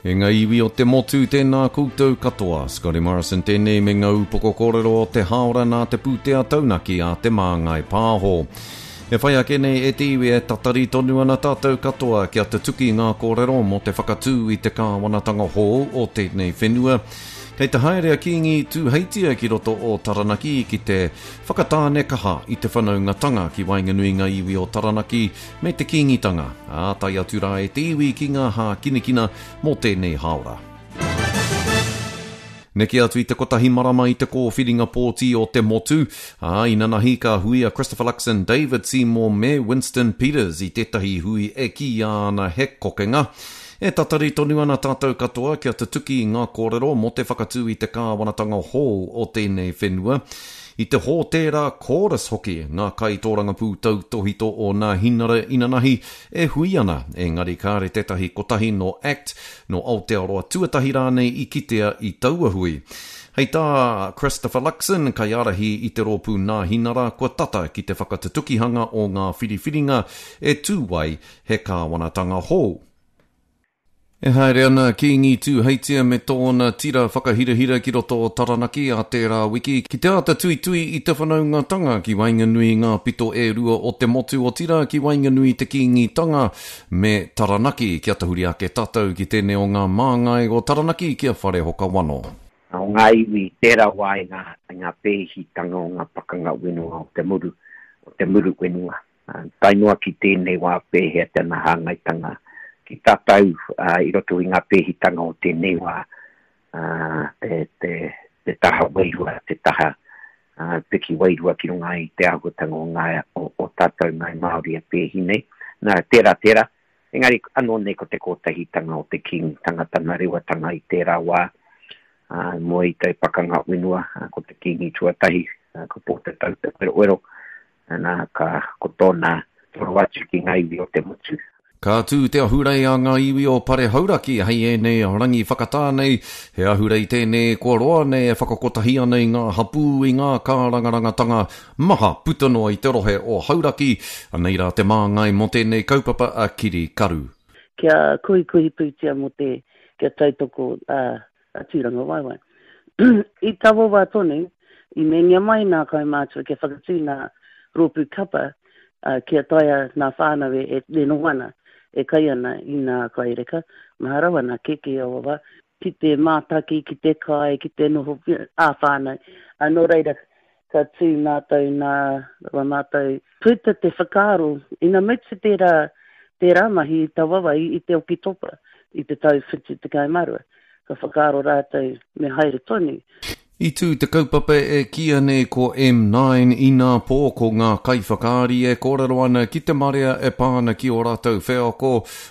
E ngā iwi o te motu, tēnā koutou katoa. Scotty Morrison tēnei me ngā upoko kōrero o te hāora nā te pūtea taunaki a Te Māngai Pāho. E whai ake nei e te iwi e tatari tonu ana tātou katoa kia tutuki ngā kōrero mō te whakatū i te kāwanatanga hou o tēnei whenua. Kei te haere a Kīngi Tūheitia ki roto o Taranaki ki te whakatāne kaha i te whanaungatanga ki waenganui ngā iwi o Taranaki me te Kīngitanga, ā, tae atu rā e te iwi ki ngā hākinakina mō tēnei hāora. Neke atu i te kotahi marama i te kōwhiringa pōti o te motu, ā, inanahi ka hui a Christopher Luxon, David Seymour me Winston Peters i tētahi hui e kīia ana he kokenga. E tatari tonu ana tātou katoa kia tutuki ngā kōrero mō te whakatū i te kāwanatanga hou o tēnei whenua. I te hōtēra Chorus hoki ngā kaitōrangapū tautōhito o Nāhinara inanahi e hui ana, engari kāre tētahi kotahi nō act, nō Aotearoa Tuatahi rānei i kitea i taua hui. Hei tā Christopher Luxon, kaiārahi i te rōpū Nāhinara, kua tata ki te whakatutukihanga o ngā whiriwhiringa e tū ai he kāwanatanga hou. E haere ana a Kīngi Tūheitia me tōna tira whakahirahira ki roto o Taranaki ā tērā wiki ki te āta tuitui i te whanaungatanga ki waenganui i ngā pito e rua o te motu otirā ki waenganui i te Kīngitanga me Taranaki. Kia tahuri ake tātou ki tēnei o ngā māngai o Taranaki ki a Wharehoka Wano. O ngā iwi i tērā wā i ngā, i ngā pēhitanga o ngā pakanga whenua o te muru, o te muru whenua. Tae noa ki tēnei wā pēhea tana hāngaitanga ki tātou i roto i ngā pēhitanga o tēnei wā, te taha wairua, te taha piki wairua ki runga i te āhuatanga o ngā, o tātou Ngāi Māori e pēhi nei. Nā, tērā, tērā. Engari anō nei ko te kotahitanga o te Kīngitanga, tana rewatanga i tērā wā, mua i te pakanga whenua, ko te Kīngi tuatahi, ko Pōtatau Te Wherowhero, Nā, ka, ko tōna toro atu ki ngā iwi o te motu. Ka tū te ahurei a ngā iwi o Pare Hauraki hei ēnei rangi whakatā nei. He ahurei tēnei kua roa nei e whakakotahi ana i ngā hapū i ngā kārangarangatanga maha puta noa i te rohe o Hauraki. Anei rā te māngai mō tēnei kaupapa a Kiri Karu. Kia kohikohi pūtea mō te, kia tautoko a a Tūrangawaewae. I taua wā tonu, i meingia mai nā kaumātua kia whakatū nā rōpū kapa kia taea nā whānau e noho ana, e kai ana i nā kai reka, maha rawa nā keke i aua wā, ki te mātaki, ki te kai, ki te noho ā-whānau. Nō reira, ka tū mātou nā rawa mātou puta te whakaaro ina mutu tērā, tērā mahi i taua wā i te Oketopa i te tau 72, ka whakaaro rātou me haere tonu. I tū te kaupapa e kīia nei ko M9 inapō ko ngā kaiwhakaari e kōrero ana ki te marea e pā ana ki ō rātou wheako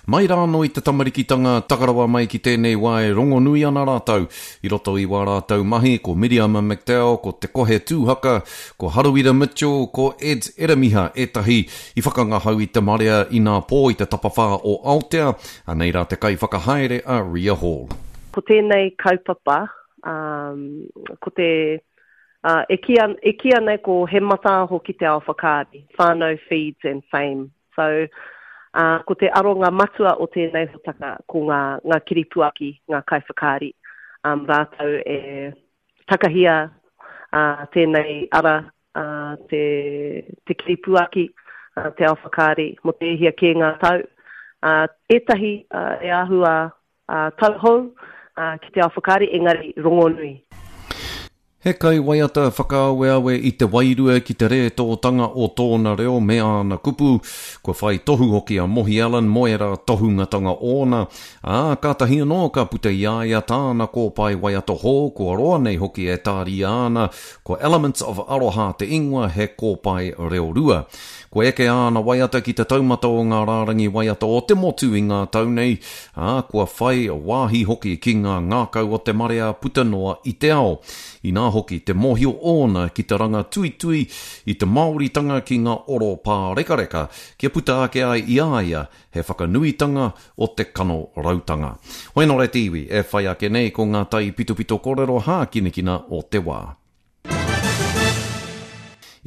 mai rānō i te tamarikitanga taka rawa mai ki tēnei wā e rongonui ana rātou I roto i wā rātou mahi, ko Miriama McDowell, ko Te Kohe Tūhaka, ko Harawira Mitchell, ko Eds Eramiha ētahi i whakangahau i te marea inapō i te tapawhā o Aotea, anei rā te kaiwhakahaere a Ria Hall. Ko tēnei kaupapa, ko te, e kīia, e kīia nei ko He Mataaho ki te Ao Whakaari, Whānau Feeds and Fame So, ā, ko te aronga matua o tēnei hōtaka ko ngā, ngā kiripuaki, ngā kaiwhakaari, um, rātou e takahia ā, tēnei ara, ā, te, te kiripuaki, ā, te ao whakaari mō te e hia kē ngā tau. Ā, ētahi ā, e āhua ā, tauhou ā, ki te ao whakaari, engari rongonui. He kaiwaiata whakaaweawe i te wairua ki te rētōtanga o tōna reo me āna kupu. Kua whai tohu hoki a Mohi Allen mō ērā tohungatanga ōna, ā, kātahi anō ka puta i a ia tāna kōpae waiata hou kua roa nei hoki e tāria ana, ko Elements of Aroha te ingoa, he kōpae reorua. Kua eke āna waiata ki te taumata o ngā rārangi waiata o te motu i ngā tau nei, ā, kua whai wāhi hoki ki ngā ngākau o te marea puta noa i te ao. Inā hoki te mōhio ōna ki te ranga tuitui i te Māoritanga ki ngā oro pārekareka kia puta ake ai i a ia he whakanuitanga o te kanorautanga. Hoi nō reira te iwi e whai ake nei ko ngā taipitopito kōrero hākinakina o te wā.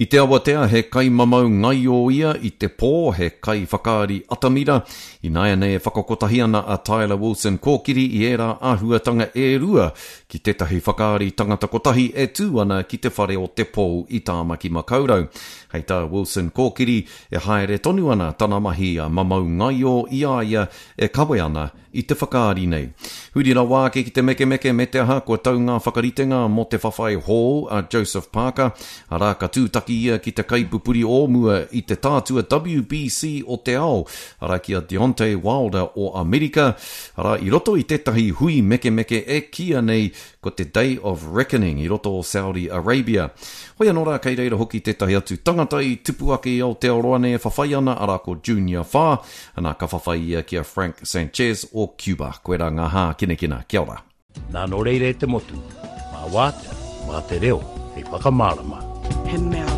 I te awatea, he kaimamau ngaio ia, i te pō, he kaiwhakaari atamira. Ināianei e whakakotahi ana a Tyler Wilson Kōkiri i ērā āhuatanga e rua ki tētahi whakaari tangata kotahi e tū ana ki te Whare o te Pou i Tāmaki Makaurau. Hei tā Wilson Kōkiri, e haere tonu ana tana mahi mamau ngaio i a ia e kawe ana i te whakaari nei. Huri rawa ake ki te mekemeke me te aha kua tau ngā whakaritenga mō te whawhai hou a Joseph Parker, arā ka tūtaki ia ki te kaipupuri o mua i te tātua WBC o te ao, arā ki a Deontay Wilder o Amerika, arā i roto i tētahi hui mekemeke e kīia nei ko te Day of Reckoning i roto o Saudi Arabia. Hoi anō rā kei reira hoki tētahi atu tangata i tupu ake i Aotearoa nei e whawhai ana, arā ko Junior Fa, Ana, ka whawhai ia ki a Frank Sanchez o Cuba. Koirā ngā hākinakina. Kia ora. Nā, nō reira e te motu, mā Wātea, mā te reo hei whakamārama. He mea.